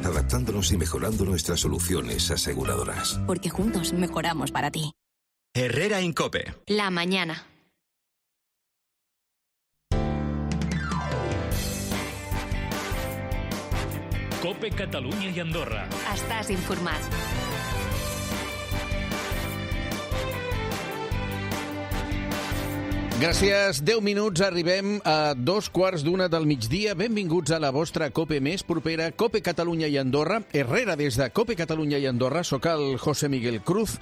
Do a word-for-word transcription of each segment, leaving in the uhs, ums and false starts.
adaptándonos y mejorando nuestras soluciones aseguradoras. Porque juntos mejoramos para ti. Herrera Incope. La mañana. Cope Catalunya i Andorra. Estàs informat. Gràcies. deu minuts, arribem a dos quarts d'una del migdia. Benvinguts a la vostra Cope més propera, Cope Catalunya i Andorra. Herrera des de Cope Catalunya i Andorra. Soc el José Miguel Cruz.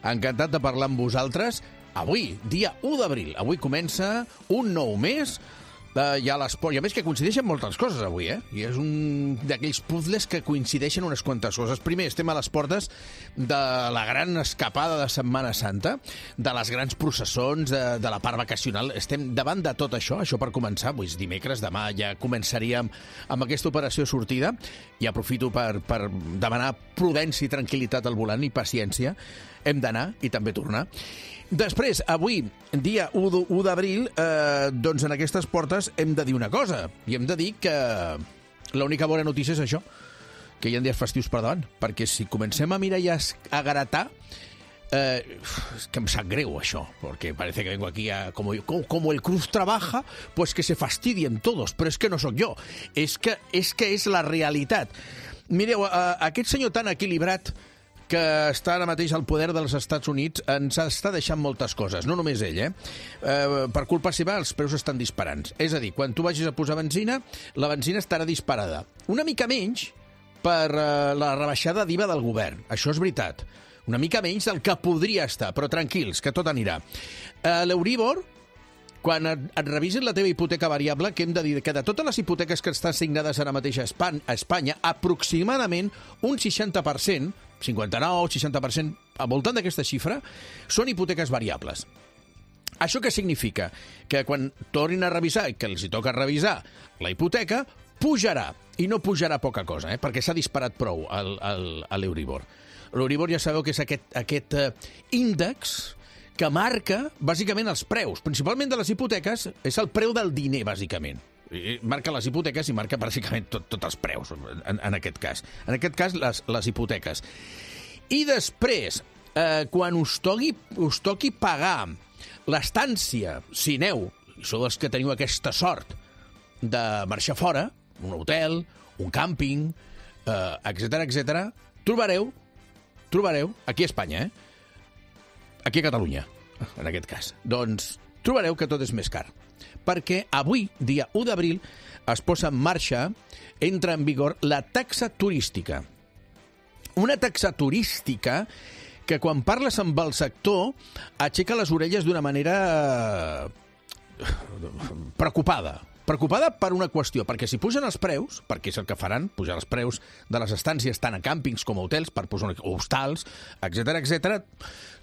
Encantat de parlar amb vosaltres. Avui, dia u d'abril. Avui comença un nou mes. Uh, hi ha l'esport, i a més que coincideixen moltes coses avui, eh? I és un d'aquells puzzles que coincideixen unes quantes coses. Primer, estem a les portes de la gran escapada de Setmana Santa, de les grans processons, de, de la part vacacional. Estem davant de tot això, això per començar. Avui és dimecres, demà ja començaríem amb aquesta operació sortida, i aprofito per, per demanar prudència i tranquil·litat al volant i paciència. Hem d'anar i també tornar. Després, avui, dia u d'abril, eh, doncs en aquestes portes hem de dir una cosa. I hem de dir que l'única bona notícia és això, que hi ha dies festius per davant. Perquè si comencem a mirar i a gratar, eh, és que em sap greu això, perquè parece que vengo aquí a... Como, como el Cruz trabaja, pues que se fastidien todos. Però és que no sóc jo. És que és, que és la realitat. Mireu, eh, aquest senyor tan equilibrat que està ara mateix al poder dels Estats Units, ens està deixant moltes coses. No només ell, eh? eh per culpa seva, els preus estan disparant. És a dir, quan tu vagis a posar benzina, la benzina estarà disparada. Una mica menys per eh, la rebaixada d'I V A del govern. Això és veritat. Una mica menys del que podria estar, però tranquils, que tot anirà. Eh, L'Euríbor, quan et, et revisin la teva hipoteca variable, que hem de dir que de totes les hipoteques que estan signades ara mateix a Espanya, a Espanya aproximadament un seixanta per cent, cinquanta-nou, seixanta per cent, al voltant d'aquesta xifra, són hipoteques variables. Això què significa? Que quan tornin a revisar, que els hi toca revisar la hipoteca, pujarà. I no pujarà poca cosa, eh? Perquè s'ha disparat prou l'Euríbor. L'Euríbor ja sabeu que és aquest, aquest uh, índex que marca, bàsicament, els preus. Principalment de les hipoteques, és el preu del diner, bàsicament. I marca les hipoteques i marca pràcticament tots tot els preus, en, en aquest cas. En aquest cas, les, les hipoteques. I després, eh, quan us toqui, us toqui pagar l'estància, si aneu, i sou els que teniu aquesta sort de marxar fora, un hotel, un càmping, eh, etcètera, etcètera, trobareu, trobareu, aquí a Espanya, eh? Aquí a Catalunya, en aquest cas. Doncs trobareu que tot és més car. Perquè avui, dia u d'abril, es posa en marxa, entra en vigor, la taxa turística. Una taxa turística que, quan parles amb el sector, aixeca les orelles d'una manera preocupada. Preocupada per una qüestió, perquè si pugen els preus, perquè és el que faran, pujar els preus de les estàncies tant a càmpings com a hotels, per posar hostals, etcètera, etcètera,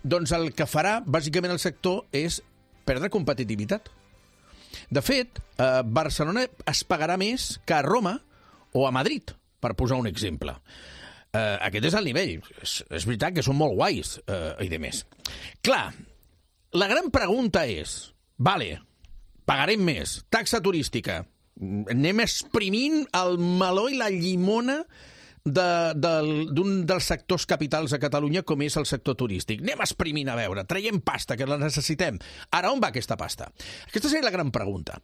doncs el que farà, bàsicament, el sector és perdre competitivitat. De fet, a Barcelona es pagarà més que a Roma o a Madrid, per posar un exemple. Eh, aquest és el nivell. És, és veritat que són molt guais eh, i de més. Clar, la gran pregunta és, vale, pagarem més, taxa turística, anem exprimint el meló i la llimona de, del, d'un dels sectors capitals a Catalunya, com és el sector turístic. Anem exprimint, a veure, traiem pasta, que la necessitem. Ara, on va aquesta pasta? Aquesta seria la gran pregunta.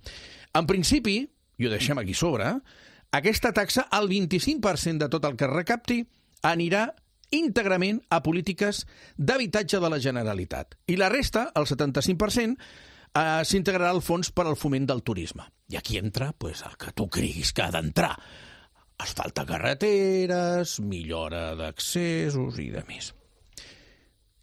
En principi, i ho deixem aquí sobre, aquesta taxa, el vint-i-cinc per cent de tot el que es recapti, anirà íntegrament a polítiques d'habitatge de la Generalitat. I la resta, el setanta-cinc per cent, eh, s'integrarà al fons per al foment del turisme. I aquí entra pues, el que tu creguis que ha d'entrar. Asfalta carreteres, millora d'accessos i de més.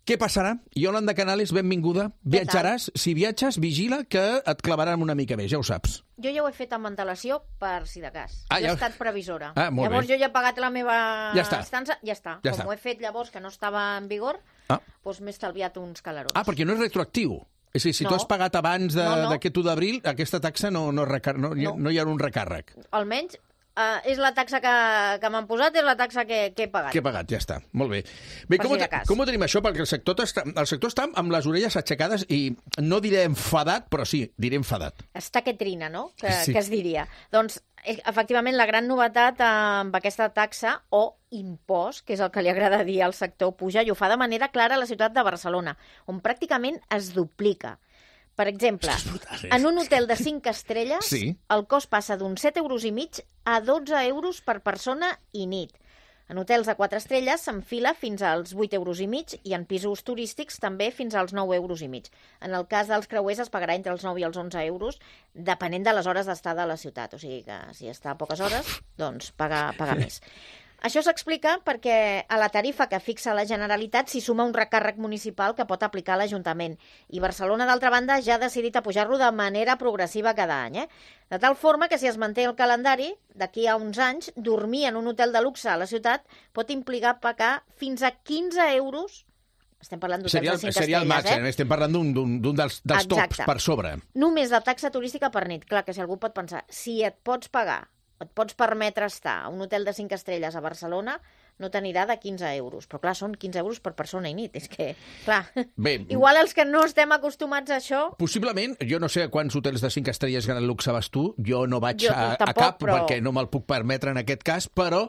Què passarà? Iolanda Canales, benvinguda. Viatjaràs? Si viatges, vigila que et clavaran una mica més, ja ho saps. Jo ja ho he fet amb antelació per si de cas. Ah, ja... ja... he estat previsora. Ah, molt llavors bé. jo ja he pagat la meva ja està. estança, ja està. Ja Com està. ho he fet llavors que no estava en vigor, ah. doncs m'he estalviat uns calarons. Ah, perquè no és retroactiu. És a dir, si no. tu has pagat abans d'aquest no, no. u d'abril, aquesta taxa no, no, recar... no, no. no hi ha un recàrrec. Almenys Uh, és la taxa que, que m'han posat, és la taxa que, que he pagat. Que he pagat, ja està. Molt bé. Bé, com, si ho, com ho tenim això? Perquè el sector, està, el sector està amb les orelles aixecades i no diré enfadat, però sí, diré enfadat. Està que trina, no? Que, sí. que es diria. Doncs efectivament, la gran novetat amb aquesta taxa o impost, que és el que li agrada dir al sector puja, i ho fa de manera clara a la ciutat de Barcelona, on pràcticament es duplica. Per exemple, en un hotel de cinc estrelles, sí. el cost passa d'uns set euros i mig a dotze euros per persona i nit. En hotels de quatre estrelles s'enfila fins als vuit euros i mig i en pisos turístics també fins als nou euros i mig. En el cas dels creuers es pagarà entre els nou i els onze euros, depenent de les hores d'estada a la ciutat. O sigui que si està a poques hores, doncs paga, paga més. Això s'explica perquè a la tarifa que fixa la Generalitat s'hi suma un recàrrec municipal que pot aplicar l'Ajuntament. I Barcelona, d'altra banda, ja ha decidit a pujar-lo de manera progressiva cada any. Eh? De tal forma que si es manté el calendari, d'aquí a uns anys, dormir en un hotel de luxe a la ciutat pot implicar pagar fins a quinze euros. Estem parlant d'hotels de cinc estrelles, seria el màxim, eh? estem parlant d'un dels, dels tops per sobre. Només de taxa turística per nit. Clar, que si algú pot pensar, si et pots pagar et pots permetre estar a un hotel de cinc estrelles a Barcelona, no t'anirà de quinze euros. Però, clar, són quinze euros per persona i nit. És que, clar, Bé, igual els que no estem acostumats a això... Possiblement, jo no sé a quants hotels de cinc estrelles gran luxe vas tu, jo no vaig jo, a, tampoc, a cap, però... perquè no me'l puc permetre en aquest cas, però,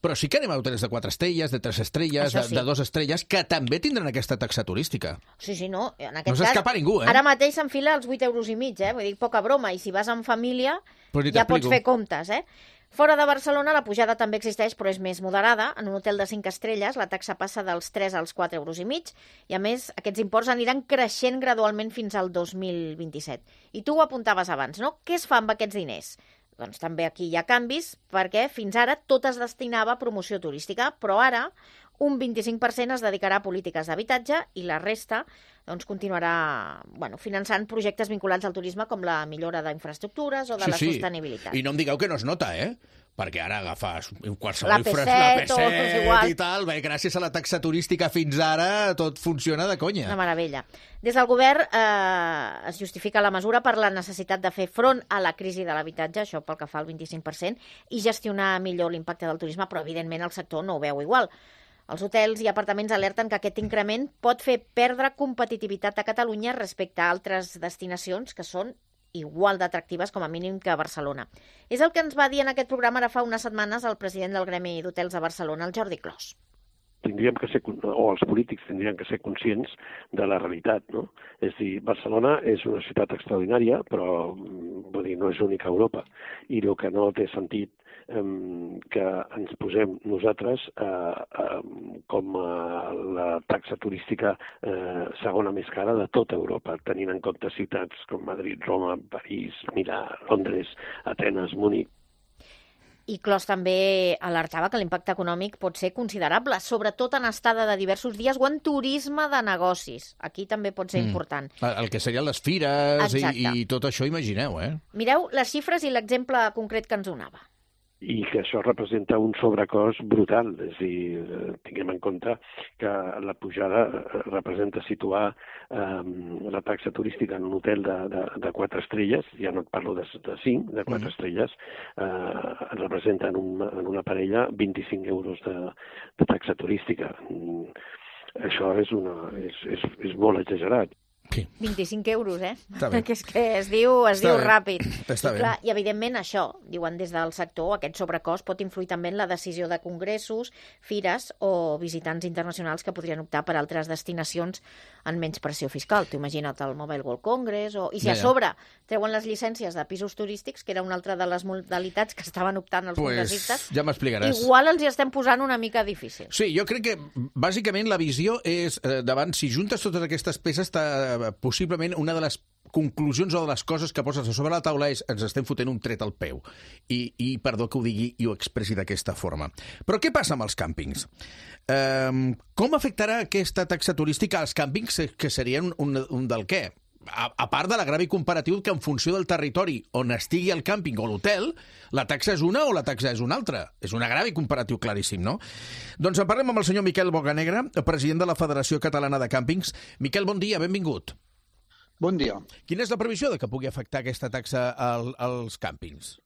però sí que anem a hotels de quatre estrelles, de tres estrelles, de, sí. de dos estrelles, que també tindran aquesta taxa turística. Sí, sí, no. En aquest no s'escapa ningú, eh? Ara mateix s'enfila als vuit euros i mig, eh? Vull dir, poca broma. I si vas en família, ja pots fer comptes, eh? Fora de Barcelona la pujada també existeix, però és més moderada. En un hotel de cinc estrelles la taxa passa dels tres als quatre euros i mig i, a més, aquests imports aniran creixent gradualment fins al dos mil vint-i-set. I tu ho apuntaves abans, no? Què es fa amb aquests diners? Doncs també aquí hi ha canvis, perquè fins ara tot es destinava a promoció turística, però ara un vint-i-cinc per cent es dedicarà a polítiques d'habitatge i la resta doncs, continuarà bueno, finançant projectes vinculats al turisme com la millora d'infraestructures o de sí, la sí. sostenibilitat. I no em digueu que no es nota, eh? Perquè ara agafes qualsevol la P set, la P set igual. I tal, bé, gràcies a la taxa turística fins ara tot funciona de conya. Una meravella. Des del govern eh, es justifica la mesura per la necessitat de fer front a la crisi de l'habitatge, això pel que fa al vint-i-cinc per cent, i gestionar millor l'impacte del turisme, però evidentment el sector no ho veu igual. Els hotels i apartaments alerten que aquest increment pot fer perdre competitivitat a Catalunya respecte a altres destinacions que són igual d'atractives com a mínim que a Barcelona. És el que ens va dir en aquest programa ara fa unes setmanes el president del Gremi d'Hotels de Barcelona, el Jordi Clos. Tindríem que ser, o els polítics tindrien que ser conscients de la realitat, no? És a dir, Barcelona és una ciutat extraordinària, però vull dir, no és única a Europa. I el que no té sentit eh, que ens posem nosaltres eh, eh, com a la taxa turística eh, segona més cara de tota Europa, tenint en compte ciutats com Madrid, Roma, París, Milà, Londres, Atenes, Múnich. I Clos també alertava que l'impacte econòmic pot ser considerable, sobretot en estada de diversos dies o en turisme de negocis. Aquí també pot ser mm. important. El que serien les fires i, i tot això, imagineu, eh? Mireu les xifres i l'exemple concret que ens donava. I que això representa un sobrecost brutal. És a dir, tinguem en compte que la pujada representa situar eh, la taxa turística en un hotel de, de, de quatre estrelles, ja no et parlo de, de cinc, de quatre mm. estrelles, eh, representa en, un, en una parella vint-i-cinc euros de, de taxa turística. Això és, una, és, és, és molt exagerat. Sí. vint-i-cinc euros, eh? Que és que es diu, es diu ràpid. Està I, clar, I, evidentment, això, diuen des del sector, aquest sobrecost pot influir també en la decisió de congressos, fires o visitants internacionals que podrien optar per altres destinacions en menys pressió fiscal. T'ho imagina't el Mobile World Congress, o... i si a sobre treuen les llicències de pisos turístics, que era una altra de les modalitats que estaven optant els pues, congressistes, ja m'explicaràs. Igual els hi estem posant una mica difícil. Sí, jo crec que, bàsicament, la visió és, eh, davant, si juntes totes aquestes peces, possiblement una de les conclusions o de les coses que poses a sobre la taula és ens estem fotent un tret al peu. I, i perdó que ho digui i ho expressi d'aquesta forma. Però què passa amb els càmpings? Um, com afectarà aquesta taxa turística als càmpings, que serien un, un del què? A, a part de l'agravi comparatiu que en funció del territori on estigui el càmping o l'hotel, la taxa és una o la taxa és una altra. És un agravi comparatiu claríssim, no? Doncs en parlem amb el senyor Miquel Bocanegra, president de la Federació Catalana de Càmpings. Miquel, bon dia, benvingut. Bon dia. Quina és la previsió de que pugui afectar aquesta taxa al, als càmpings?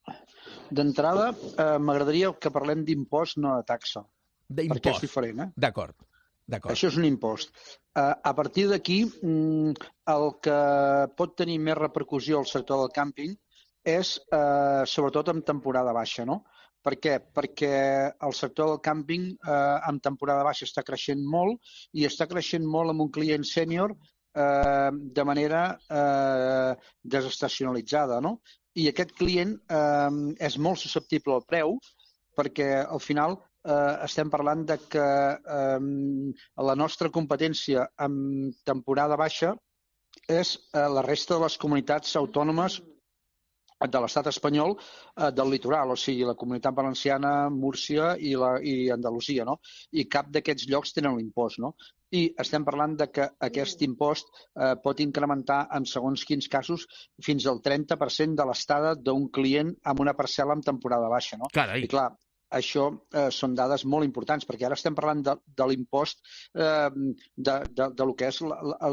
D'entrada, eh, m'agradaria que parlem d'impost, no de taxa. D'impost. Perquè és diferent, eh? D'acord. Això és un impost. Uh, a partir d'aquí, mm, el que pot tenir més repercussió al sector del càmping és eh, sobretot en temporada baixa, no? Per què? Perquè el sector del càmping eh, en temporada baixa està creixent molt i està creixent molt amb un client sènior eh, de manera eh, desestacionalitzada, no? I aquest client eh, és molt susceptible al preu perquè al final eh, estem parlant de que eh, la nostra competència en temporada baixa és eh, la resta de les comunitats autònomes de l'estat espanyol eh, del litoral, o sigui, la Comunitat Valenciana, Múrcia i, la, i Andalusia, no? I cap d'aquests llocs tenen l'impost, no? I estem parlant de que aquest impost eh, pot incrementar en segons quins casos fins al trenta per cent de l'estada d'un client amb una parcel·la en temporada baixa, no? Carai. I clar, això eh, són dades molt importants, perquè ara estem parlant de, de l'impost, eh, de, de, de lo que és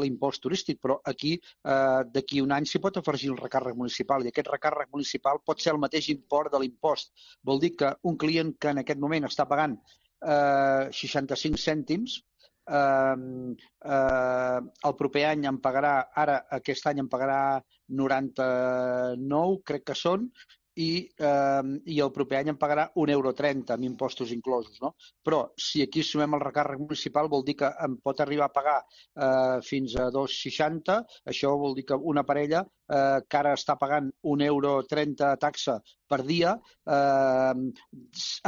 l'impost turístic, però aquí, eh, d'aquí un any, s'hi pot afegir el recàrrec municipal, i aquest recàrrec municipal pot ser el mateix import de l'impost. Vol dir que un client que en aquest moment està pagant eh, seixanta-cinc cèntims, eh, eh, el proper any em pagarà, ara aquest any em pagarà noranta-nou, crec que són, i, eh, i el proper any em pagarà un euro trenta amb impostos inclosos, no? Però si aquí sumem el recàrrec municipal vol dir que em pot arribar a pagar eh, fins a dos seixanta, això vol dir que una parella eh, que ara està pagant un euro trenta taxa per dia, eh,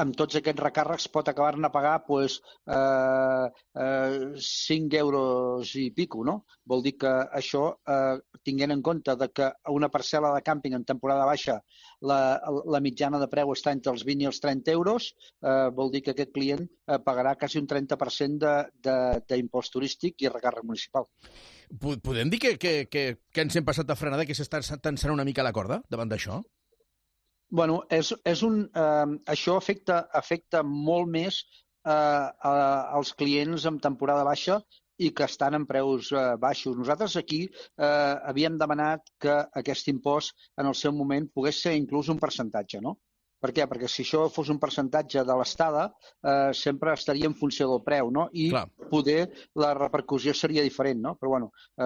amb tots aquests recàrrecs pot acabar-ne a pagar pues, eh, eh, cinc euros i pico, no? Vol dir que això, eh, tinguent en compte de que una parcel·la de càmping en temporada baixa la, la mitjana de preu està entre els vint i els trenta euros, eh, vol dir que aquest client eh, pagarà quasi un trenta per cent d'impost turístic i recàrrec municipal. Podem dir que, que, que, que ens hem passat de frenada, que s'està tensant una mica la corda davant d'això? Bueno, és, és un, eh, això afecta, afecta molt més eh, a, als clients en temporada baixa i que estan en preus eh, baixos. Nosaltres aquí eh, havíem demanat que aquest impost en el seu moment pogués ser inclús un percentatge, no? Per què? Perquè si això fos un percentatge de l'estada, eh, sempre estaria en funció del preu, no? I Clar. Poder la repercussió seria diferent, no? Però bueno, eh,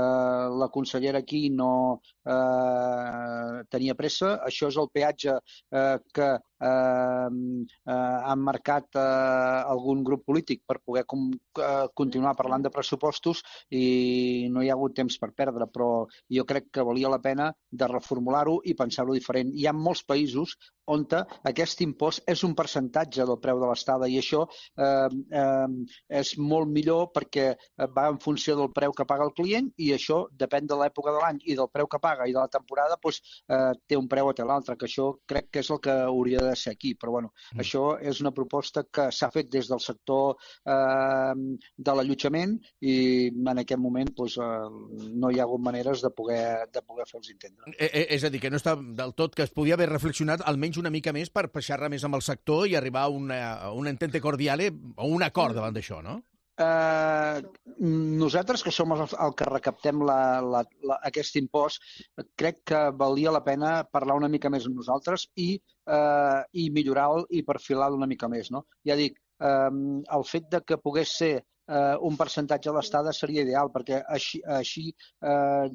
la consellera aquí no eh, tenia pressa. Això és el peatge eh, que eh, eh, han marcat eh, algun grup polític per poder com, eh, continuar parlant de pressupostos i no hi ha hagut temps per perdre, però jo crec que valia la pena de reformular-ho i pensar-ho diferent. Hi ha molts països on aquest impost és un percentatge del preu de l'estada i això eh, eh, és molt millor perquè va en funció del preu que paga el client i això depèn de l'època de l'any i del preu que paga i de la temporada doncs, eh, té un preu o té l'altre, que això crec que és el que hauria de ser aquí, però bueno, mm. això és una proposta que s'ha fet des del sector eh, de l'allotjament i en aquest moment doncs, eh, no hi ha hagut maneres de poder, de poder fer-los entendre. Eh, és a dir, que no està del tot, que es podia haver reflexionat almenys una mica més per xerrar més amb el sector i arribar a una, a un entente cordiale o un acord davant d'això, no? Eh, nosaltres, que som el, el que recaptem la, la, la, aquest impost, crec que valia la pena parlar una mica més amb nosaltres i, eh, i millorar-lo i perfilar-lo una mica més, no? Ja dic, eh, el fet de que pogués ser eh, un percentatge de l'estada seria ideal, perquè així, així eh,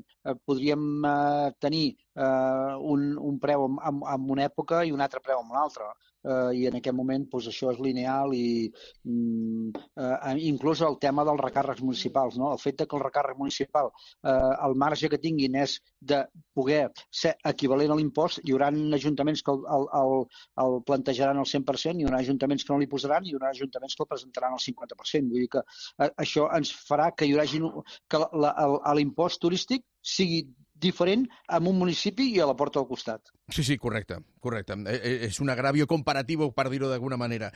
podríem eh, tenir eh, un, un preu en, en una època i un altre preu en l'altra. Uh, i en aquest moment doncs, això és lineal i mm, uh, inclús el tema dels recàrrecs municipals, no? El fet de que el recàrrec municipal uh, el marge que tinguin és de poder ser equivalent a l'impost, hi haurà ajuntaments que el, el, el, el plantejaran al cent per cent, hi haurà ajuntaments que no li posaran i hi haurà ajuntaments que el presentaran al cinquanta per cent. Vull dir que uh, això ens farà que hi hagi que l'impost turístic sigui diferent en un municipi i a la porta del costat. Sí, sí, correcte, correcte. És un agravio comparatiu, per dir-ho d'alguna manera.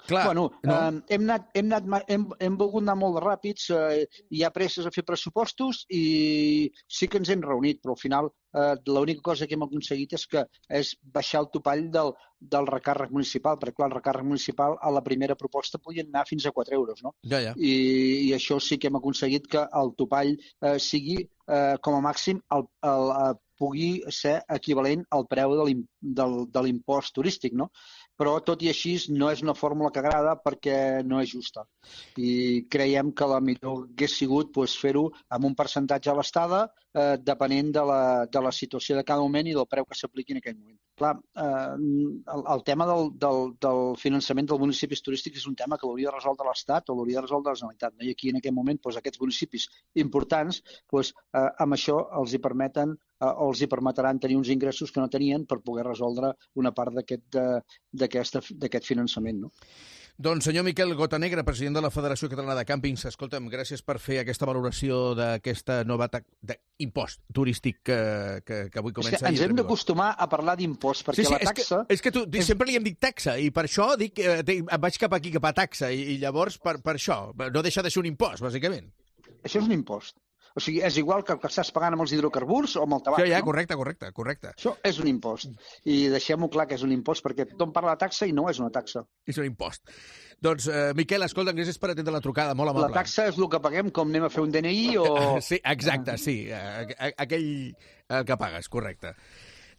Clar, bueno, no? eh, hem, anat, hem, anat, hem, hem volgut anar molt de ràpids, eh, hi ha presses a fer pressupostos i sí que ens hem reunit, però al final eh, l'única cosa que hem aconseguit és que és baixar el topall del, del recàrrec municipal, perquè clar, el recàrrec municipal a la primera proposta podien anar fins a quatre euros, no? Ja, ja. I, i això sí que hem aconseguit que el topall eh, sigui eh, com a màxim el, el, el, pugui ser equivalent al preu de l'impost turístic, no? però tot i així no és una fórmula que agrada perquè no és justa. I creiem que la millor hagués sigut pues, fer-ho amb un percentatge a l'estada, eh, depenent de la, de la situació de cada moment i del preu que s'apliqui en aquell moment. Clar, eh, el, el tema del, del, del finançament dels municipis turístics és un tema que l'hauria de resoldre l'Estat o l'hauria de resoldre la Generalitat. No? I aquí en aquest moment doncs, aquests municipis importants doncs, eh, amb això els hi permeten eh, o els hi permetran tenir uns ingressos que no tenien per poder resoldre una part d'aquest finançament. No? Doncs senyor Miquel Gotanegra, president de la Federació Catalana de Càmpings, escolta'm, gràcies per fer aquesta valoració d'aquesta nova impost turístic que, que, que avui comença. És que ens hem d'acostumar a parlar d'impost, perquè sí, sí, la taxa... És que, és que tu, és... sempre li hem dit taxa, i per això dic, eh, vaig cap aquí, cap a taxa, i, i llavors per, per això, no deixa de ser un impost, bàsicament. Això és un impost. O sigui, és igual que el que estàs pagant amb els hidrocarburs o amb el tabac. Sí, ja, no? correcte, correcte, correcte. Això és un impost. I deixem-ho clar que és un impost, perquè tothom parla de taxa i no és una taxa. És un impost. Doncs, uh, Miquel, escolta, gràcies per atendre la trucada, molt amable. La taxa és el que paguem, com anem a fer un D N I o... Sí, exacte, sí. Aquell el que pagues, correcte.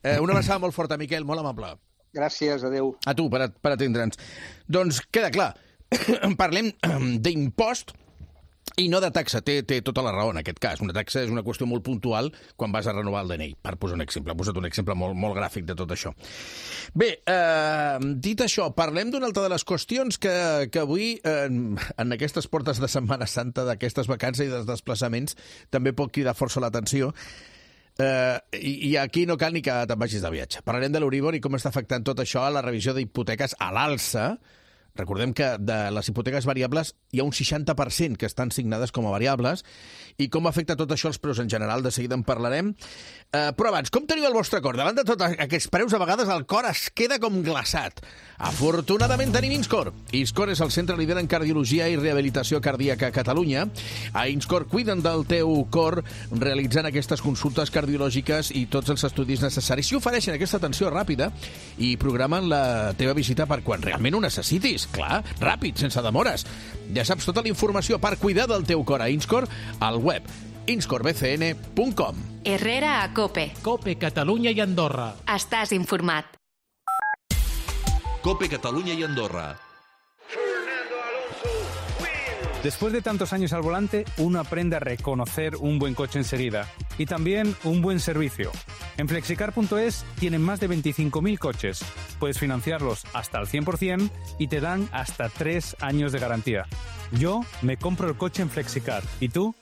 Uh, una abraçada molt forta, Miquel, molt amable. Gràcies, adeu. A tu, per, per atendre'ns. Doncs queda clar, parlem d'impost i no de taxa. Té, té tota la raó en aquest cas. Una taxa és una qüestió molt puntual quan vas a renovar el D N I, per posar un exemple. He posat un exemple molt, molt gràfic de tot això. Bé, eh, dit això, parlem d'una altra de les qüestions que, que avui, eh, en aquestes portes de Setmana Santa, d'aquestes vacances i dels desplaçaments, també pot cridar força l'atenció. Uh, i, i aquí no cal ni que te'n vagis de viatge. Parlarem de l'Euríbor i com està afectant tot això a la revisió d'hipoteques a l'alça. Recordem que de les hipoteques variables hi ha un seixanta per cent que estan signades com a variables, i com afecta tot això als preus en general, de seguida en parlarem. Uh, però abans, com teniu el vostre cor? Davant de tots aquests preus, a vegades el cor es queda com glaçat. Afortunadament tenim Inscor. Inscor és el centre líder en cardiologia i rehabilitació cardíaca a Catalunya. A Inscor cuiden del teu cor realitzant aquestes consultes cardiològiques i tots els estudis necessaris. I ofereixen aquesta atenció ràpida i programen la teva visita per quan realment ho necessitis. Clar, ràpid, sense demores. Ja saps tota la informació per cuidar del teu cor a Inscor al web inscor b c n punt com. Herrera a COPE. COPE Catalunya i Andorra. Estàs informat. COPE Cataluña y Andorra. Después de tantos años al volante, uno aprende a reconocer un buen coche enseguida y también un buen servicio. En flexicar punto es tienen más de veinticinco mil coches. Puedes financiarlos hasta el cien por ciento y te dan hasta tres años de garantía. Yo me compro el coche en Flexicar. ¿Y tú?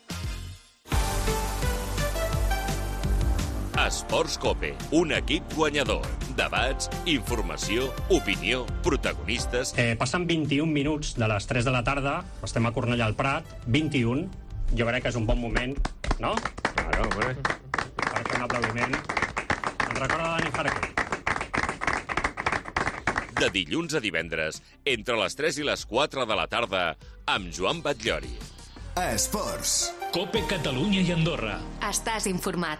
Esports COPE, un equip guanyador. Debats, informació, opinió, protagonistes... Eh, passen vint-i-un minuts de les tres de la tarda, estem a Cornellà al Prat, vint-i-un, jo crec que és un bon moment, no? Claro, hombre. Per fer un aplaudiment. Ens recorda Dani Jarque. De dilluns a divendres, entre les tres i les quatre de la tarda, amb Joan Batllori. Esports. COPE Catalunya i Andorra. Estàs informat.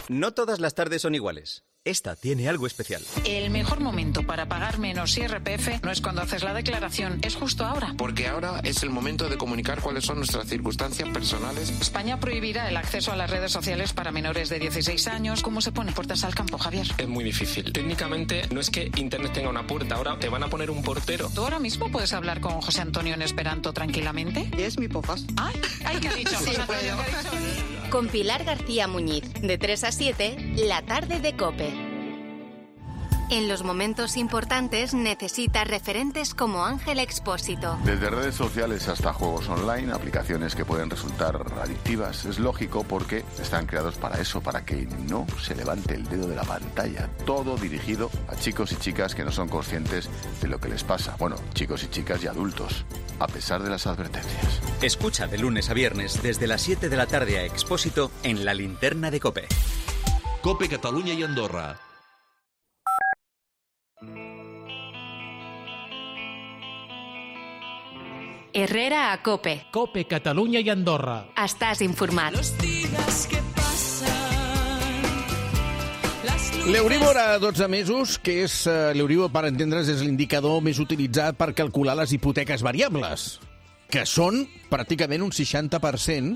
No todas las tardes son iguales. Esta tiene algo especial. El mejor momento para pagar menos I R P F no es cuando haces la declaración, es justo ahora. Porque ahora es el momento de comunicar cuáles son nuestras circunstancias personales. España prohibirá el acceso a las redes sociales para menores de dieciséis años. ¿Cómo se pone puertas al campo, Javier? Es muy difícil. Técnicamente no es que Internet tenga una puerta, ahora te van a poner un portero. ¿Tú ahora mismo puedes hablar con José Antonio en Esperanto tranquilamente? Es mi pofas. Ay, ay, ¿qué ha dicho sí, José Antonio? ¿Qué ha dicho? Con Pilar García Muñiz, de tres a siete, la tarde de COPE. En los momentos importantes necesitas referentes como Ángel Expósito. Desde redes sociales hasta juegos online, aplicaciones que pueden resultar adictivas, es lógico porque están creados para eso, para que no se levante el dedo de la pantalla. Todo dirigido a chicos y chicas que no son conscientes de lo que les pasa. Bueno, chicos y chicas y adultos, a pesar de las advertencias. Escucha de lunes a viernes desde las siete de la tarde a Expósito en la linterna de COPE. COPE Catalunya i Andorra. Herrera a COPE. COPE Catalunya i Andorra. Estàs informat. L'Euríbor a dotze mesos, que és uh, l'Euríbor, per entendre's, és l'indicador més utilitzat per calcular les hipoteques variables, que són pràcticament un seixanta per cent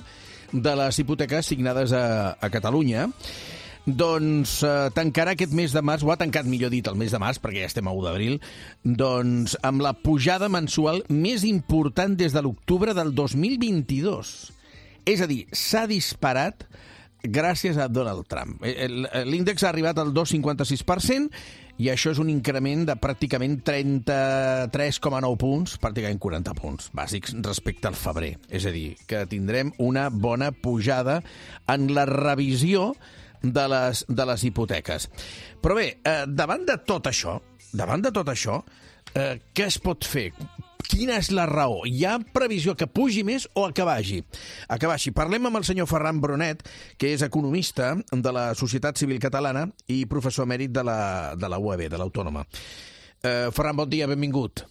de les hipoteques signades a, a Catalunya. doncs eh, tancarà aquest mes de març, o ha tancat, millor dit, el mes de març, perquè ja estem a u d'abril, doncs amb la pujada mensual més important des de l'octubre del dos mil vint-i-dos. És a dir, s'ha disparat gràcies a Donald Trump. L'índex ha arribat al dos coma cinquanta-sis per cent i això és un increment de pràcticament trenta-tres coma nou punts, pràcticament quaranta punts bàsics respecte al febrer. És a dir, que tindrem una bona pujada en la revisió de les, de les hipoteques. Però bé, eh, davant de tot això, davant de tot això, eh, què es pot fer? Quina és la raó? Hi ha previsió que pugi més o que baixi? A que baixi. Parlem amb el senyor Ferran Brunet, que és economista de la Societat Civil Catalana i professor emèrit de la, de la U A B, de l'Autònoma. Eh, Ferran, bon dia, benvingut.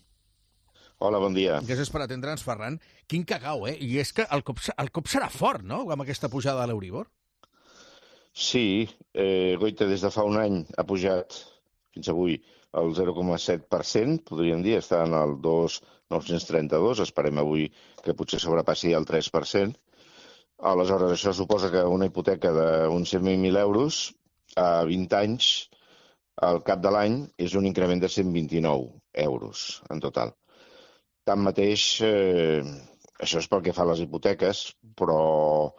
Hola, bon dia. Gràcies per atendre'ns, Ferran. Quin cagau, eh? I és que el cop, el cop serà fort, no?, amb aquesta pujada de l'Euribor. Sí, eh, Goita des de fa un any ha pujat fins avui el zero coma set per cent, podríem dir, està en el dos mil nou-cents trenta-dos, esperem avui que potser sobrepassi el tres per cent. Aleshores, això suposa que una hipoteca d'uns cent mil euros a vint anys, al cap de l'any, és un increment de cent vint-i-nou euros en total. Tanmateix, eh, això és pel que fa a les hipoteques, però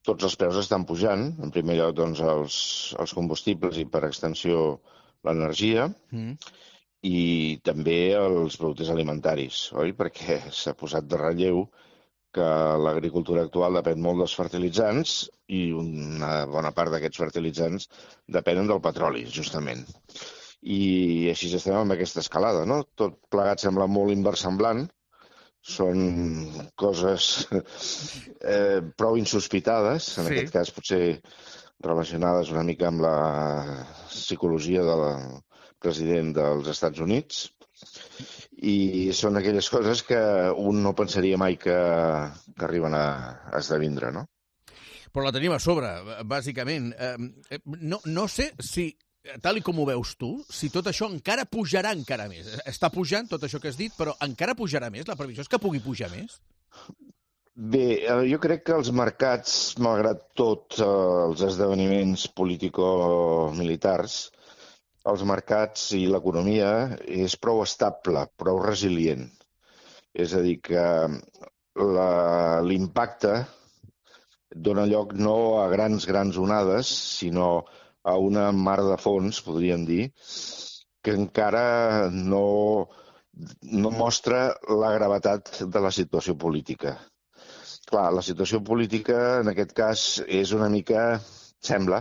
tots els preus estan pujant. En primer lloc, doncs, els, els combustibles i, per extensió, l'energia, mm. i també els productes alimentaris, oi? Perquè s'ha posat de relleu que l'agricultura actual depèn molt dels fertilitzants i una bona part d'aquests fertilitzants depenen del petroli, justament. I així estem amb aquesta escalada, no? Tot plegat sembla molt inversemblant, són coses eh, prou insospitades, en sí. aquest cas potser relacionades una mica amb la psicologia del president dels Estats Units, i són aquelles coses que un no pensaria mai que, que arriben a, a esdevindre, no? Però la tenim a sobre, bàsicament. Eh, no, no sé si, tal i com ho veus tu, si tot això encara pujarà encara més. Està pujant tot això que has dit, però encara pujarà més? La previsió és que pugui pujar més? Bé, jo crec que els mercats, malgrat tot els esdeveniments político-militars, els mercats i l'economia és prou estable, prou resilient. És a dir, que l'impacte dona lloc no a grans, grans onades, sinó a una mar de fons, podríem dir, que encara no, no mostra la gravetat de la situació política. Clar, la situació política, en aquest cas, és una mica, sembla,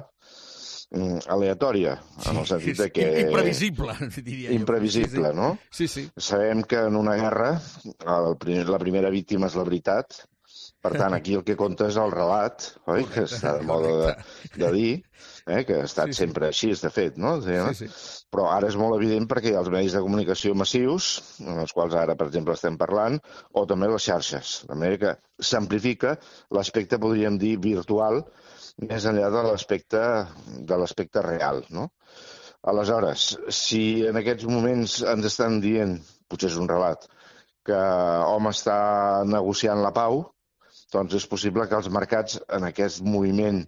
aleatòria, en el sentit de que... Imprevisible, diria jo. Imprevisible, no? Sí, sí. Sabem que en una guerra el primer, la primera víctima és la veritat, per tant, aquí el que compta és el relat, oi? Que està de moda de, de dir, eh? Que ha estat sí, sí. sempre així, de fet, no? Sí, sí. Però ara és molt evident perquè hi ha els medis de comunicació massius, en els quals ara, per exemple, estem parlant, o també les xarxes. De manera que s'amplifica l'aspecte, podríem dir, virtual, més enllà de l'aspecte de l'aspecte real, no? Aleshores, si en aquests moments ens estan dient, potser és un relat, que hom està negociant la pau, doncs és possible que els mercats en aquest moviment,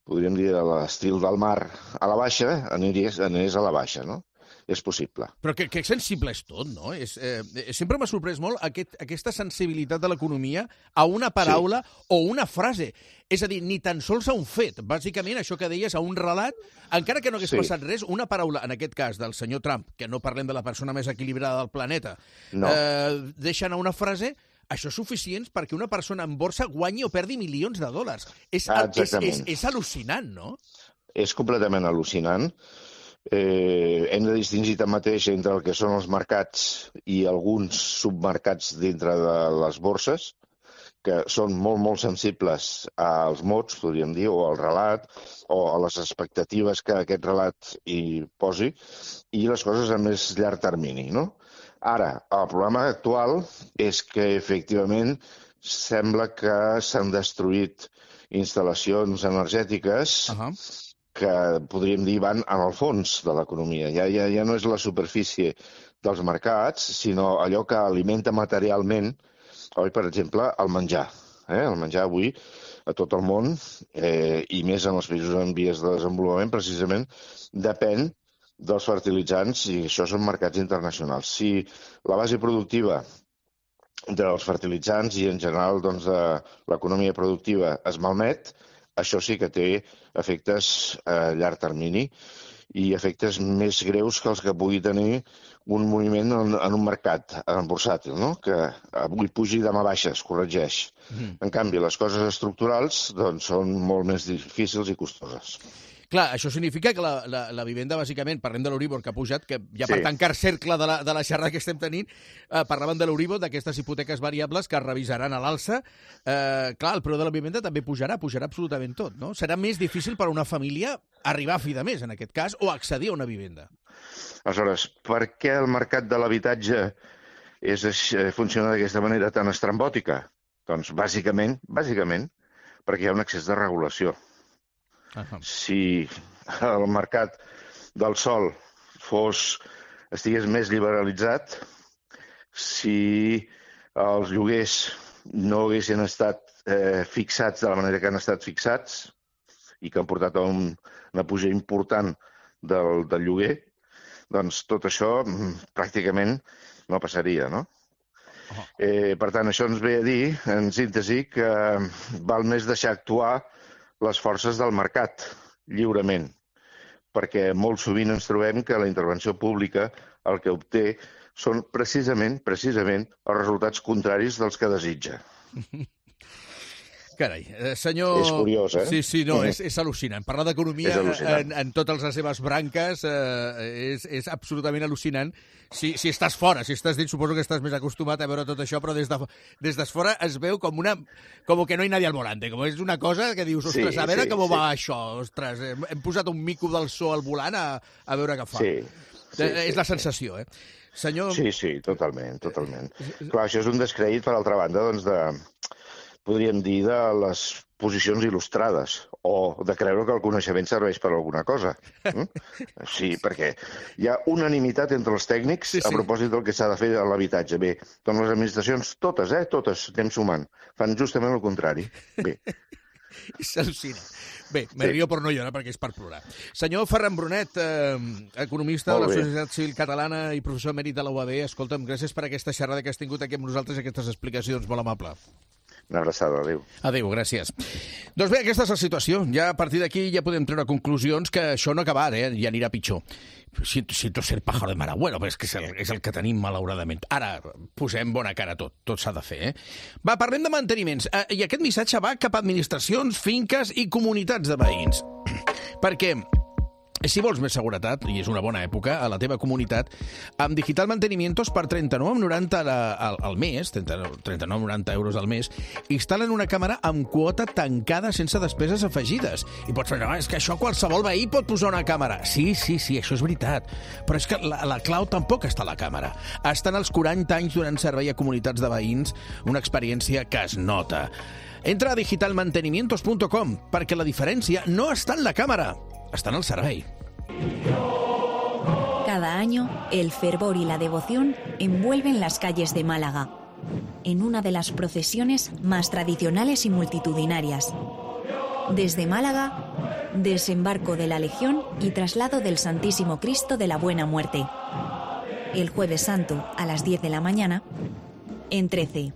podríem dir, de l'estil del mar a la baixa, anirés, anirés a la baixa, no? És possible. Però que, que sensible és tot, no? És, eh, sempre m'ha sorprès molt aquest, aquesta sensibilitat de l'economia a una paraula sí. o una frase. És a dir, ni tan sols a un fet. Bàsicament, això que deies, a un relat, encara que no hagués sí. passat res, una paraula, en aquest cas, del senyor Trump, que no parlem de la persona més equilibrada del planeta, no. eh, deixa anar una frase... Això és suficient perquè una persona en borsa guanyi o perdi milions de dòlars. És, ah, és, és, és al·lucinant, no? És completament al·lucinant. Eh, hem de distingir tanmateix entre el que són els mercats i alguns submercats dintre de les borses, que són molt, molt sensibles als mots, podríem dir, o al relat, o a les expectatives que aquest relat hi posi, i les coses a més llarg termini, no? Ara, el problema actual és que, efectivament, sembla que s'han destruït instal·lacions energètiques uh-huh. que, podríem dir, van en el fons de l'economia. Ja, ja, ja no és la superfície dels mercats, sinó allò que alimenta materialment, oi, per exemple, el menjar. Eh? El menjar avui a tot el món, eh, i més en els països en vies de desenvolupament, precisament, depèn dels fertilitzants, i això són mercats internacionals. Si la base productiva dels fertilitzants i, en general, doncs, de l'economia productiva es malmet, això sí que té efectes a llarg termini i efectes més greus que els que pugui tenir un moviment en, en un mercat en bursàtil, no? Que avui pugi i demà baixa, es corregeix. Mm. En canvi, les coses estructurals doncs, són molt més difícils i costoses. Clar, això significa que la, la, la vivenda, bàsicament, parlem de l'Euribor que ha pujat, que ja per sí. tancar cercle de la, de la xerrada que estem tenint, eh, parlaven de l'Euribor, d'aquestes hipoteques variables que es revisaran a l'alça. Eh, clar, el preu de la vivenda també pujarà, pujarà absolutament tot, no? Serà més difícil per a una família arribar a fi de mes, en aquest cas, o accedir a una vivenda. Aleshores, per què el mercat de l'habitatge és, funciona d'aquesta manera tan estrambòtica? Doncs, bàsicament, bàsicament, perquè hi ha un excés de regulació. Uh-huh. Si el mercat del sòl fos, estigués més liberalitzat, si els lloguers no haguessin estat eh, fixats de la manera que han estat fixats i que han portat a un, una puja important del, del lloguer, doncs tot això pràcticament no passaria, no? Uh-huh. Eh, per tant, això ens ve a dir, en síntesi, que val més deixar actuar les forces del mercat, lliurement, perquè molt sovint ens trobem que la intervenció pública el que obté són precisament, precisament, els resultats contraris dels que desitja. Carai, senyor... És curiós, eh? Sí, sí, no, és, és al·lucinant. Parlar d'economia en, en totes les seves branques eh, és, és absolutament al·lucinant. Si, si estàs fora, si estàs dins, suposo que estàs més acostumat a veure tot això, però des de, des de fora es veu com una... com que no hi nadie al volante, com és una cosa que dius, ostres, sí, a veure sí, com sí. va això, ostres, hem posat un mico del so al volant a, a veure què fa. Sí, sí, és sí, la sensació, eh? Senyor... Sí, sí, totalment, totalment. Clar, això és un descrèdit, per altra banda, doncs, de... podríem dir, de les posicions il·lustrades, o de creure que el coneixement serveix per alguna cosa. Mm? Sí, perquè hi ha unanimitat entre els tècnics sí, sí. a propòsit del que s'ha de fer a l'habitatge. Bé, doncs les administracions, totes, eh, totes, anem sumant, fan justament el contrari. Bé. S'al·lucina. Bé, me sí. rio per no llorar perquè és per plorar. Senyor Ferran Brunet, eh, economista de la Societat Civil Catalana i professor emèrit de la U A B, escolta'm, gràcies per aquesta xerrada que has tingut aquí amb nosaltres, aquestes explicacions, molt amable. Una abraçada, adéu. Adéu, gràcies. Doncs bé, aquesta és la situació. Ja a partir d'aquí ja podem treure conclusions que això no acabarà, eh? Ja anirà pitjor. Siento, siento ser pájaro de mal agüero, però és que és el, és el que tenim, malauradament. Ara, posem bona cara a tot. Tot s'ha de fer, eh? Va, parlem de manteniments. Eh, I aquest missatge va cap a administracions, finques i comunitats de veïns. Perquè... si vols més seguretat, i és una bona època, a la teva comunitat, amb Digital Mantenimientos per trenta-nou coma noranta al, al mes, trenta-nou coma noranta euros al mes, instal·len una càmera amb quota tancada sense despeses afegides. I pots pensar, és que això qualsevol veí pot posar una càmera. Sí, sí, sí, això és veritat. Però és que la, la clau tampoc està a la càmera. Estan els quaranta anys donant servei a comunitats de veïns, una experiència que es nota. Entra a digital mantenimientos punto com, perquè la diferència no està en la càmera, está en el servei. Cada año, el fervor y la devoción envuelven las calles de Málaga, en una de las procesiones más tradicionales y multitudinarias. Desde Málaga, desembarco de la Legión y traslado del Santísimo Cristo de la Buena Muerte. El Jueves Santo, a las diez de la mañana, en trece.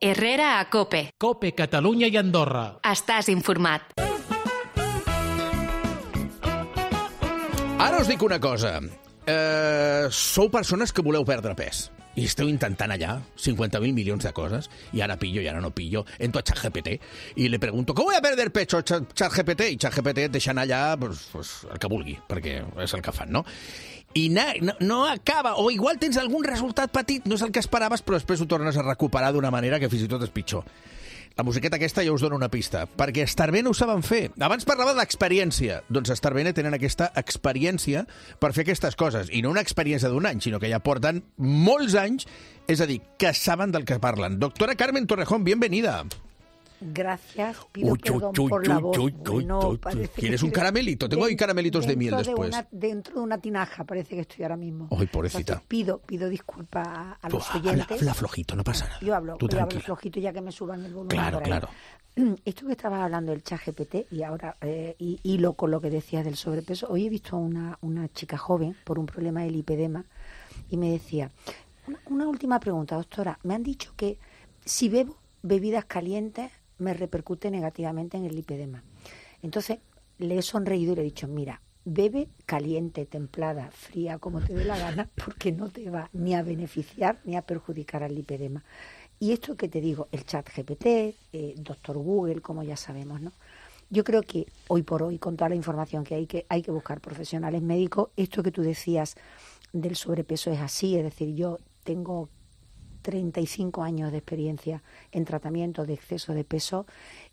Herrera a COPE. COPE, Catalunya i Andorra. Estàs informat. Ara us dic una cosa. Eh, sou persones que voleu perdre pes i esteu intentant allà cincuenta mil milions de coses y ahora pillo y ahora no pillo, entro a ChatGPT y le pregunto ¿cómo voy a perder pecho ChatGPT? I ChatGPT et deixen allà pues, pues, el que vulgui, perquè és el que fan, no? I na, no, no acaba, o igual tens algun resultat petit, no és el que esperaves, però després ho tornes a recuperar d'una manera que fins i tot és pitjor. La musiqueta aquesta ja us dona una pista, perquè Starbene ho saben fer. Abans parlava de l'experiència. Doncs Starbene tenen aquesta experiència per fer aquestes coses, i no una experiència d'un any, sinó que ja porten molts anys, és a dir, que saben del que parlen. Doctora Carmen Torrejón, bienvenida. Gracias, pido Uy, perdón uy, por uy, la uy, voz. uy, uy, No, uy, parece que ¿Quieres un estoy caramelito? Tengo ahí caramelitos de miel dentro después. una- dentro de una tinaja parece que estoy ahora mismo. Ay, pobrecita. Entonces, pido, pido disculpas a, a Tú los habla, oyentes. habla flojito, no pasa nada. Yo hablo, Tú yo hablo tranquila. flojito ya que me suban el volumen. Claro, por ahí. claro. Esto que estabas hablando del chat G P T y ahora eh, y, hilo con lo que decías del sobrepeso. Hoy he visto a una, una chica joven por un problema del lipedema y me decía, una, una última pregunta, doctora. Me han dicho que si bebo bebidas calientes me repercute negativamente en el lipedema. Entonces le he sonreído y le he dicho, mira, bebe caliente, templada, fría, como te dé la gana, porque no te va ni a beneficiar ni a perjudicar al lipedema. Y esto que te digo, el chat G P T, eh, doctor Google, como ya sabemos, ¿no? Yo creo que hoy por hoy, con toda la información que hay, que hay que buscar profesionales médicos. Esto que tú decías del sobrepeso es así, es decir, yo tengo treinta y cinco años de experiencia en tratamiento de exceso de peso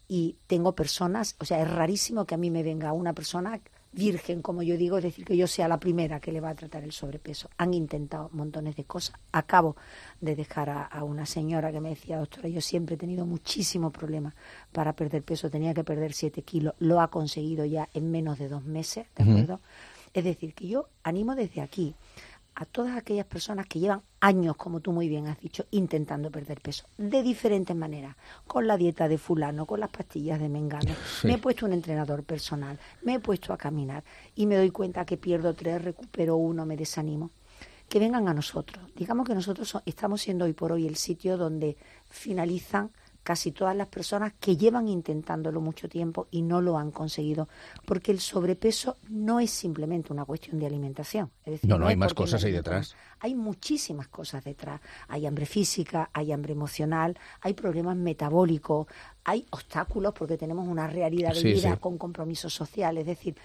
y tengo personas, o sea, es rarísimo que a mí me venga una persona virgen, como yo digo, es decir, que yo sea la primera que le va a tratar el sobrepeso. Han intentado montones de cosas. Acabo de dejar a, a una señora que me decía, doctora, yo siempre he tenido muchísimos problemas para perder peso, tenía que perder siete kilos, lo ha conseguido ya en menos de dos meses, ¿de acuerdo? Uh-huh. Es decir, que yo animo desde aquí a todas aquellas personas que llevan años, como tú muy bien has dicho, intentando perder peso, de diferentes maneras, con la dieta de fulano, con las pastillas de mengano. Sí. Me he puesto un entrenador personal, me he puesto a caminar y me doy cuenta que pierdo tres, recupero uno, me desanimo. Que vengan a nosotros. Digamos que nosotros so- estamos siendo hoy por hoy el sitio donde finalizan casi todas las personas que llevan intentándolo mucho tiempo y no lo han conseguido, porque el sobrepeso no es simplemente una cuestión de alimentación. Es decir, no, no, no hay es más porque cosas me ahí alimento, detrás. Hay muchísimas cosas detrás. Hay hambre física, hay hambre emocional, hay problemas metabólicos, hay obstáculos porque tenemos una realidad de Sí, vida sí. con compromisos sociales. Es decir,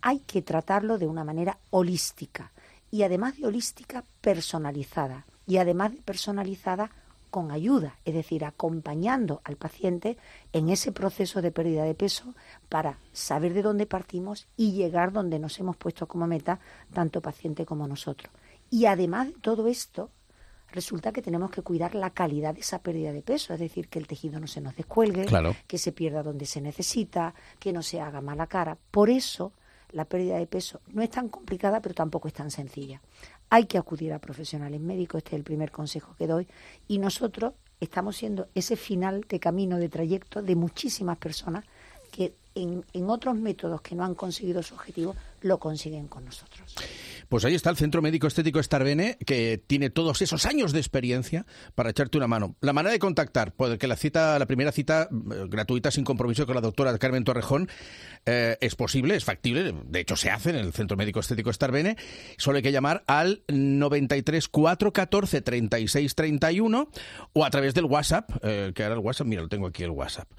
hay que tratarlo de una manera holística y además de holística, personalizada. Y además de personalizada, con ayuda, es decir, acompañando al paciente en ese proceso de pérdida de peso para saber de dónde partimos y llegar donde nos hemos puesto como meta, tanto paciente como nosotros. Y además de todo esto, resulta que tenemos que cuidar la calidad de esa pérdida de peso, es decir, que el tejido no se nos descuelgue, Claro. que se pierda donde se necesita, que no se haga mala cara. Por eso, la pérdida de peso no es tan complicada, pero tampoco es tan sencilla. Hay que acudir a profesionales médicos, este es el primer consejo que doy, y nosotros estamos siendo ese final de camino, de trayecto de muchísimas personas que en, en otros métodos que no han conseguido su objetivo, lo consiguen con nosotros. Pues ahí está el Centro Médico Estético Starbene, que tiene todos esos años de experiencia para echarte una mano. La manera de contactar, porque la cita, la primera cita eh, gratuita sin compromiso con la doctora Carmen Torrejón eh, es posible, es factible, de hecho se hace en el Centro Médico Estético Starbene. Solo hay que llamar al noventa y tres, cuatrocientos catorce, treinta y seis treinta y uno o a través del WhatsApp, eh, que ahora el WhatsApp, mira, lo tengo aquí el WhatsApp,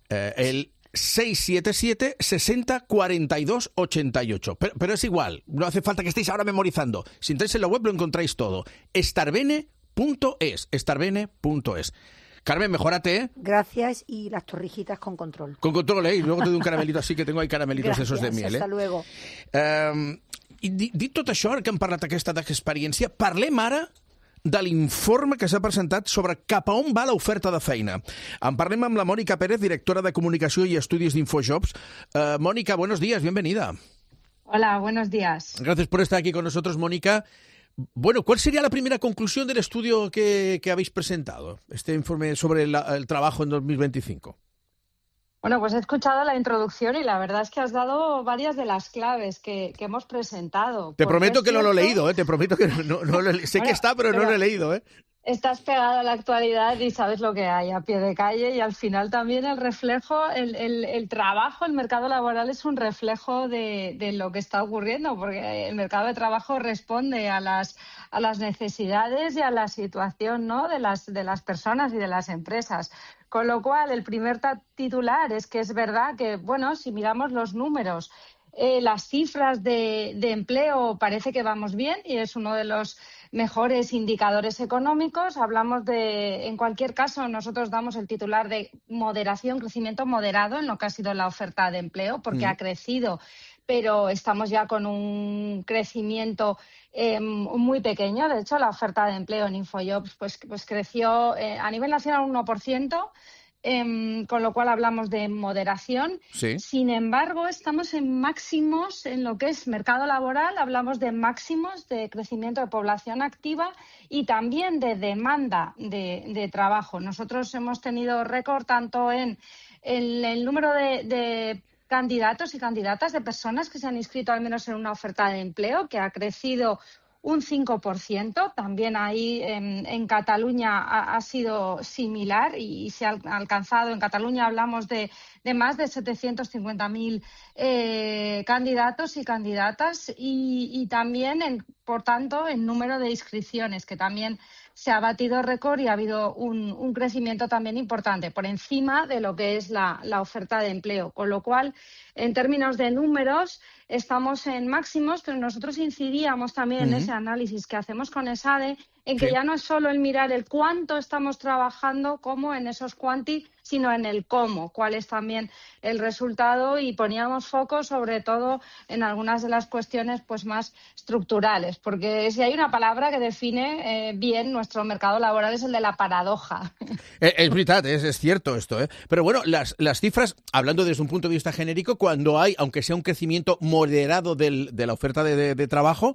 eh, el seis siete siete, sesenta, cuarenta y dos, ochenta y ocho. Pero, pero es igual, no hace falta que estéis ahora memorizando. Si entráis en la web lo encontráis todo. starbene punto es, starbene punto es. Carmen, mejórate, ¿eh? Gracias, y las torrijitas con control. Con control, ¿eh? Y luego te doy un caramelito así, que tengo ahí caramelitos Gracias, esos de miel, eh? hasta luego. Um, I dit, dit tot això, que hem parlat aquesta experiència, parlem ara de l'informe que s'ha presentat sobre cap a on va l'oferta de feina. En parlem amb la Mónica Pérez, directora de Comunicació i Estudis d'Infojobs. Uh, Mónica, buenos días, bienvenida. Hola, buenos días. Gracias por estar aquí con nosotros, Mónica. Bueno, ¿cuál sería la primera conclusión del estudio que, que habéis presentado? Este informe sobre la, el trabajo en dos mil veinticinco. Bueno, pues he escuchado la introducción y la verdad es que has dado varias de las claves que, que hemos presentado. Te prometo que no lo he leído, ¿eh? Te prometo que no, no, no lo he, sé bueno, que está, pero, pero no lo he leído, ¿eh? Estás pegado a la actualidad y sabes lo que hay a pie de calle, y al final también el reflejo, el, el, el trabajo, el mercado laboral es un reflejo de, de lo que está ocurriendo, porque el mercado de trabajo responde a las, a las necesidades y a la situación, ¿no?, de las, de las personas y de las empresas. Con lo cual, el primer titular es que es verdad que, bueno, si miramos los números, eh, las cifras de, de empleo parece que vamos bien y es uno de los mejores indicadores económicos. Hablamos de, en cualquier caso, nosotros damos el titular de moderación, crecimiento moderado en lo que ha sido la oferta de empleo, porque mm. ha crecido, pero estamos ya con un crecimiento eh, muy pequeño. De hecho, la oferta de empleo en Infojobs pues, pues creció eh, a nivel nacional un uno por ciento, eh, con lo cual hablamos de moderación. Sí. Sin embargo, estamos en máximos en lo que es mercado laboral, hablamos de máximos de crecimiento de población activa y también de demanda de, de trabajo. Nosotros hemos tenido récord tanto en, en el número de, de candidatos y candidatas, de personas que se han inscrito al menos en una oferta de empleo, que ha crecido un cinco por ciento. También ahí en, en Cataluña ha, ha sido similar y, y se ha alcanzado, en Cataluña hablamos de, de más de setecientos cincuenta mil eh, candidatos y candidatas y, y también, en, por tanto, en número de inscripciones, que también se ha batido récord y ha habido un, un crecimiento también importante, por encima de lo que es la, la oferta de empleo. Con lo cual, en términos de números, estamos en máximos, pero nosotros incidíamos también uh-huh. en ese análisis que hacemos con ESADE, en que sí. ya no es solo el mirar el cuánto estamos trabajando, como en esos cuanti, sino en el cómo, cuál es también el resultado, y poníamos foco sobre todo en algunas de las cuestiones pues más estructurales, porque si hay una palabra que define eh, bien nuestro mercado laboral es el de la paradoja. Es, es verdad, es, es cierto esto, ¿eh? Pero bueno, las, las cifras, hablando desde un punto de vista genérico, cuando hay, aunque sea un crecimiento moderado del, de la oferta de, de, de trabajo,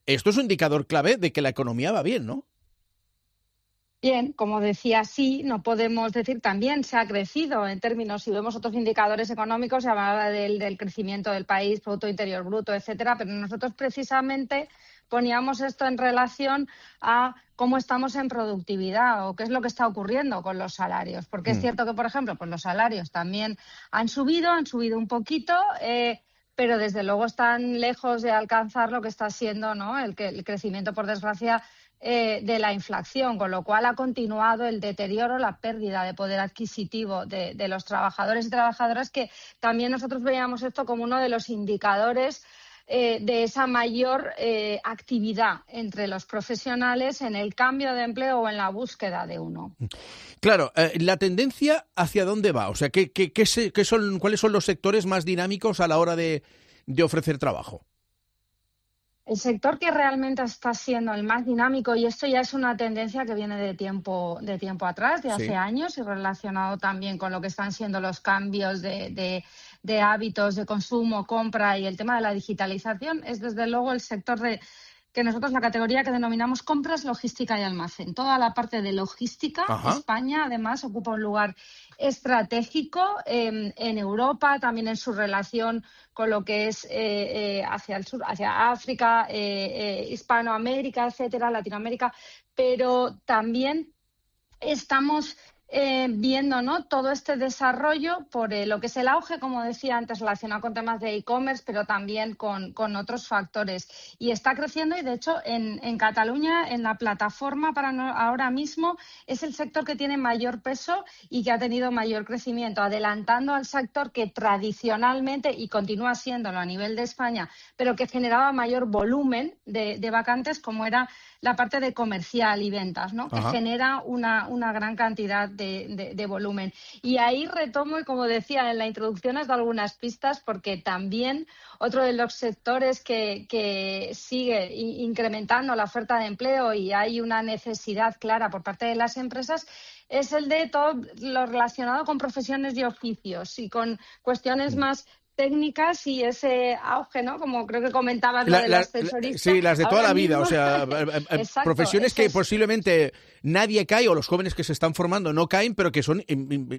esto es un indicador clave de que la economía va bien, ¿no? Bien, como decía, sí, no podemos decir también se ha crecido en términos, si vemos otros indicadores económicos, se hablaba del, del crecimiento del país, Producto Interior Bruto, etcétera, pero nosotros precisamente poníamos esto en relación a cómo estamos en productividad o qué es lo que está ocurriendo con los salarios. Porque mm. es cierto que, por ejemplo, pues los salarios también han subido, han subido un poquito, eh, pero desde luego están lejos de alcanzar lo que está siendo, ¿no?, el, el crecimiento, por desgracia, eh, de la inflación, con lo cual ha continuado el deterioro, la pérdida de poder adquisitivo de, de los trabajadores y trabajadoras, que también nosotros veíamos esto como uno de los indicadores eh, de esa mayor eh, actividad entre los profesionales en el cambio de empleo o en la búsqueda de uno. Claro, eh, la tendencia hacia dónde va, o sea, ¿qué, qué, qué, se, qué son, ¿cuáles son los sectores más dinámicos a la hora de, de ofrecer trabajo? El sector que realmente está siendo el más dinámico, y esto ya es una tendencia que viene de tiempo, de tiempo atrás, de hace sí. años, y relacionado también con lo que están siendo los cambios de, de, de hábitos de consumo, compra y el tema de la digitalización, es desde luego el sector de que nosotros la categoría que denominamos compras, logística y almacén. Toda la parte de logística, Ajá. España además ocupa un lugar estratégico eh, en Europa, también en su relación con lo que es eh, eh, hacia el sur, hacia África, eh, eh, Hispanoamérica, etcétera, Latinoamérica, pero también estamos Eh, viendo, ¿no?, todo este desarrollo por eh, lo que es el auge, como decía antes, relacionado con temas de e-commerce, pero también con, con otros factores. Y está creciendo, y de hecho en, en Cataluña, en la plataforma para no, ahora mismo, es el sector que tiene mayor peso y que ha tenido mayor crecimiento, adelantando al sector que tradicionalmente, y continúa siéndolo a nivel de España, pero que generaba mayor volumen de, de vacantes, como era la parte de comercial y ventas, ¿no?, que Ajá. genera una, una gran cantidad de, de, de volumen. Y ahí retomo, y como decía en la introducción, has dado algunas pistas, porque también otro de los sectores que, que sigue incrementando la oferta de empleo y hay una necesidad clara por parte de las empresas es el de todo lo relacionado con profesiones y oficios y con cuestiones más técnicas y ese auge, ¿no?, como creo que comentabas, la, lo del ascensorista. Sí, las de toda Ahora la vida, mismo... o sea, Exacto, profesiones que es... posiblemente nadie cae, o los jóvenes que se están formando no caen, pero que son,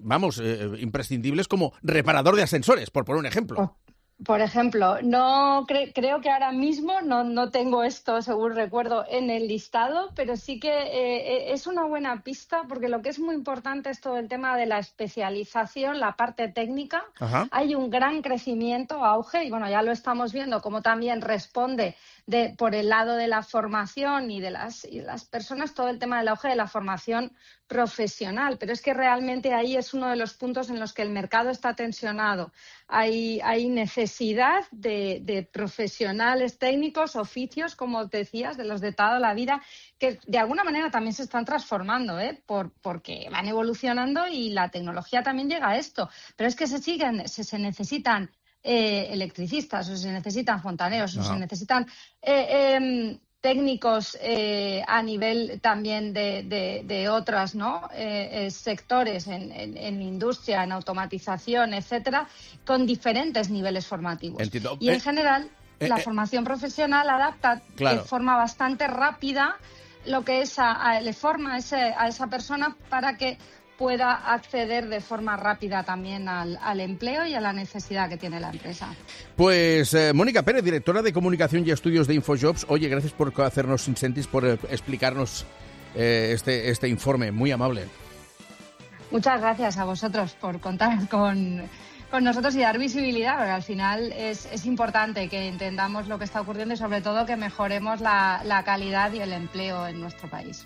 vamos, eh, imprescindibles como reparador de ascensores, por poner un ejemplo. Oh. Por ejemplo, no cre- creo que ahora mismo no, no tengo esto, según recuerdo, en el listado, pero sí que eh, es una buena pista, porque lo que es muy importante es todo el tema de la especialización, la parte técnica. Ajá. Hay un gran crecimiento, auge, y bueno, ya lo estamos viendo, cómo también responde de, por el lado de la formación y de las, y las personas, todo el tema del auge de la formación profesional, pero es que realmente ahí es uno de los puntos en los que el mercado está tensionado. Hay, hay necesidad de, de profesionales técnicos, oficios, como decías, de los de toda la vida, que de alguna manera también se están transformando, ¿eh? Por, porque van evolucionando y la tecnología también llega a esto. Pero es que se siguen, se, se necesitan eh, electricistas, o se necesitan fontaneros, no. o se necesitan... Eh, eh, técnicos eh, a nivel también de, de, de otras, ¿no? eh, eh, sectores en, en, en industria, en automatización, etcétera, con diferentes niveles formativos. Entiendo. Y en Eh, general, eh, la eh. formación profesional adapta Claro. de forma bastante rápida lo que es a, a- le forma a, ese- a esa persona para que pueda acceder de forma rápida también al, al empleo y a la necesidad que tiene la empresa. Pues eh, Mónica Pérez, directora de Comunicación y Estudios de Infojobs. Oye, gracias por hacernos incentis, por eh, explicarnos eh, este, este informe. Muy amable. Muchas gracias a vosotros por contar con, con nosotros y dar visibilidad, porque al final es, es importante que entendamos lo que está ocurriendo y sobre todo que mejoremos la, la calidad y el empleo en nuestro país.